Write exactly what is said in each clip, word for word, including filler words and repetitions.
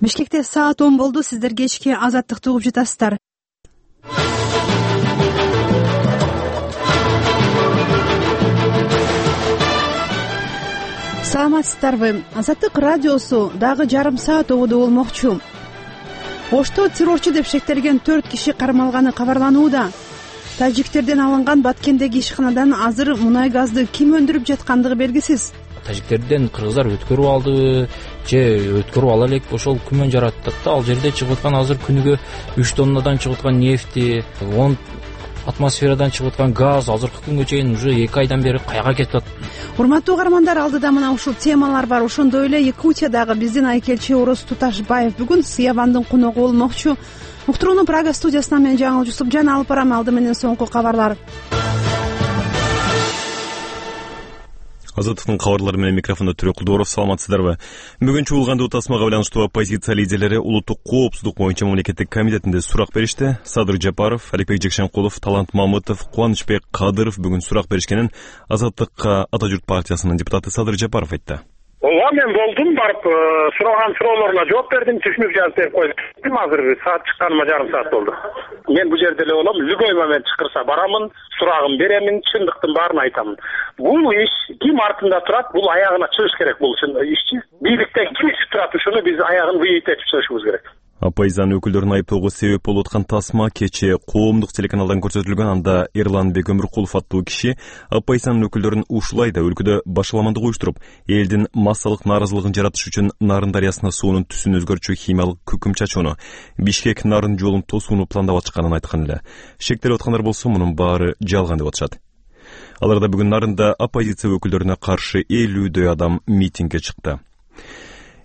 Бишкекте саат он болду. Сиздер кечки Азаттыкты угуп жатасыздар. Саламатсыздарбы? Азаттык радиосу дагы жарым саат угууда болмокчу. Ошто террорчу деп шектелген төрт киши кармалганы кабарланууда. Тажиктерден алынган Баткендеги ишканадан азыр мунай газды ким өндүрүп жаткандыгы белгисиз. Тажиктерден кыргыздар өткөрүп алдыбы же өткөрүп ала элек ошол күмөн жаратат да. Ал жерде чыгып аткан азыр күнүгө үч тоннадан чыгып аткан нефти, он атмосферадан чыгып аткан газ азыркы күнгө чейин уже эки айдан бери каяга кетип атат. Урматтуу угармандар, алдыда мына ушул темалар бар. Ошондой эле Якутиядагы биздин айкелчи Орос Туташбаев бүгүн Сыябандын коногу болмокчу. Уктурууну Прага студиясынан мен Жаңыл Жусупжан алып барам. Алды менен соңку кабарлар. Азаттыктын кабарлары менен микрофондо Төрө Кулдуоров. Саламатсыздарбы? Бүгүн чуулгандуу тасмага байланыштуу оппозиция лидерлери улуттук коопсуздук боюнча мамлекеттик комитетинде сурак беришти. Садыр Жапаров, Аликбек Жекшенкулов, Талант Мамытов, Кубанычбек Кадыров бүгүн сурак беришкенин Азаттыкка Ата журт партиясынын депутаты Садыр Жапаров айтты. Ооба, мен болдум, барып сураган суроолоруна жооп бердим, түшүнүп жазып берип койдум. Азыр саат чыкканыма жарым саат болду. Мен бул жерде эле болом, любой момент чакырса барамын, сурагым беремин, чындыктын баарын айтамын. Бул иш ким артында турат, бул аягына чыгыш керек бул ишчи. Бийликтен ким ичип турат, ушуну биз аягын выйытып чыгышыбыз керек. Оппозициянын өкүлдөрүн айыптоого себеп болуп аткан тасма кечээ коомдук телеканалдан көрсөтүлгөн. Анда Эрланбек Өмүркулов аттуу киши оппозициянын өкүлдөрүн ушулай да өлкөдө башаламандык уюштуруп, элдин массалык нааразылыгын жаратыш үчүн Нарын дарыясына суунун түсүн өзгөртүүчү химиялык күкүм чачууну, Бишкек Нарын жолун тосууну пландап атканын айткан эле. Шектелип аткандар болсо мунун баары жалган деп атышат. Аларда бүгүн Нарында оппозиция өкүлдөрүнө каршы элүүдөй адам митингге чыкты.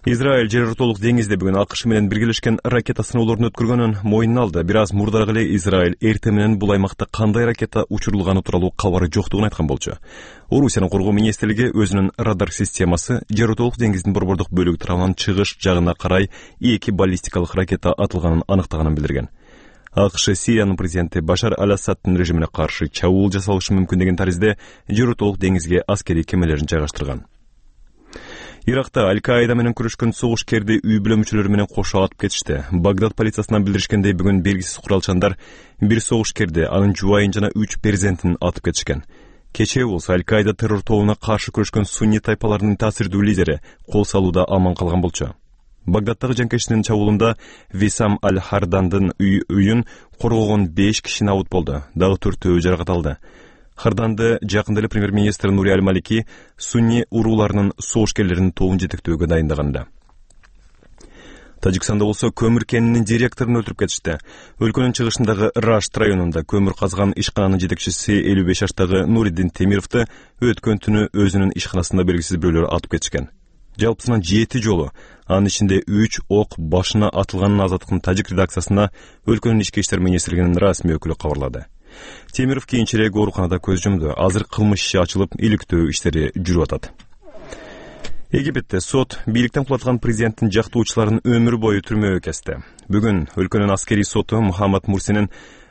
Израиль жер ортолук деңизде бүгүн АКШ менен биргелешкен ракета сыноолорун өткөргөнүн мойнуна алды. Бир аз мурдараак эле Израиль эртең менен бул аймакта кандай ракета учурулганы тууралуу кабары жоктугун айткан болчу. Орусиянын коргоо министрлиги өзүнүн радар системасы жер ортолук деңиздин борбордук бөлүгү тарабынан чыгыш жагына карай эки баллистикалык ракета атылганын аныктаганын билдирген. АКШ Сириянын президенти Башар Аль-Асаддын режимине каршы чабуул жасалышы мүмкүн деген таризде жер ортолук деңизге аскерий кемелерин жайгаштырган. Иракта Аль-Каида менен күрөшкөн согушкерди үй бүлө мүчөлөрү менен кошо атып кетишти. Багдад полициясынан билдиришкендей, бүгүн белгисиз куралчандар бир согушкерди, анын жубайын жана үч перзентин атып кетишкен. Кечээ болсо Аль-Каида террор тобуна каршы күрөшкөн сунни тайпаларынын таасирдүү лидери кол салууда аман калган болчу. Багдадтагы жанкечтинин чабуулунда Висам Аль-Хардандын үйүн коргогон беш киши набут болду. Дагы төртөө жаракат алды. Харданды жакында эле премьер-министр Нури Аль-Малики сунни урууларынын согушкерлеринин тобун жетектөөгө дайындаган эле. Тажикстанда болсо көмүр кенинин директорун өлтүрүп кетишти. Өлкөнүн чыгышындагы Рашт районунда көмүр казган ишкананын жетекчиси элүү беш жаштагы Нуриддин Темировду өткөн түнү өзүнүн ишканасында белгисиз бирөөлөр атып кетишкен. Жалпысынан жети жолу, анын ичинде үч ок башына атылганын Азаттыктын тажик редакциясына өлкөнүн ички иштер министрлигинин расмий өкүлү кабарлады. Темиров кийинчерээк ооруканада көз жумду. Азыр кылмыш иши ачылып, иликтөө иштери жүрүп атат. Египетте сот бийликтен кулатылган президенттин жактоочуларын өмүр бою түрмөгө кести. Бүгүн өлкөнүн аскерий соту Мухаммад Мурсинин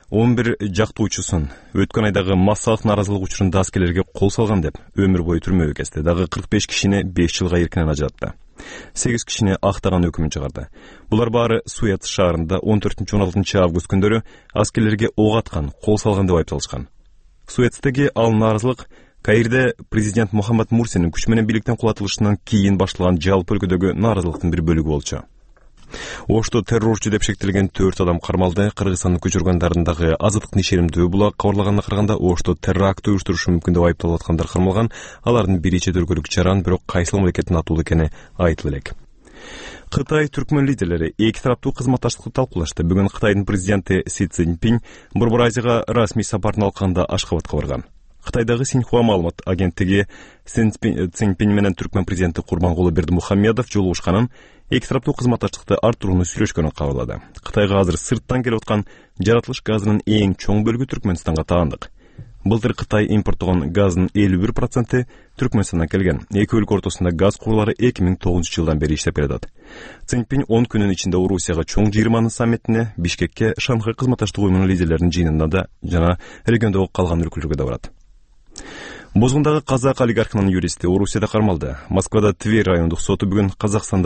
он бир жактоочусун өткөн айдагы массалык нааразылык учурунда аскерлерге кол салган деп өмүр бою түрмөгө кести. Дагы кырк беш кишини беш жылга эркинен ажыратты. сегиз кишини актаган өкүмүн чыгарды. Булар баары Суэц шаарында он төртүнчү он алтынчы август күндөрү аскерлерге ок аткан, кол салган деп айыпталышкан. Суэцтеги ал нааразылык Каирде президент Мухаммад Мурсинин күч менен бийликтен кулатылышынан кийин башталган жалпы өлкөдөгү нааразылыктын бир бөлүгү болчу. Ошто террорчу деп шектелген төрт адам кармалды. Кыргызстандын көчү органдарындагы Азаттыктын ишенимдүү була кабарлаганына караганда, Ошто террор акты уюштурушу мүмкүн деп айыпталып аткандар кармалган. Алардын бири чет өлкөлүк жаран, бирок кайсыл мамлекеттин атуулу экени айтылып элек. Кытай түркмөн лидерлери эки тараптуу кызматташтыкты талкуулашты. Бүгүн Кытайдын президенти Си Цзиньпин Борбор Азияга расмий сапарын алканда Ашкабадка барган. Кытайдагы Синьхуа маалымат агенттиги Цзиньпин менен түркмөн президенти Курбангулы Бердимухамедов жолугушканын, эки тараптуу кызматташтыкты арттырууну сүйлөшкөнүн кабарлады. Кытайга азыр сырттан келип аткан жаратылыш газынын эң чоң бөлүгү Түркмөнстанга таандык. Былтыр Кытай импорттогон газдын элүү бир проценти Түркмөнстандан келген. Эки өлкө ортосунда газ курлары эки миң тогузунчу жылдан бери иштеп келатат. Цзиньпин он күнүн ичинде Орусияга чоң жыйырманын саммитине, Бишкекке, Шанхай кызматташтык уюмунун лидерлеринин жыйынына да жана региондогу калган өлкөлөргө да барат. Бозгундагы казак олигархынын юристи Орусияда кармалды. Москвада Тверь райондук соту бүгүн Казакстандык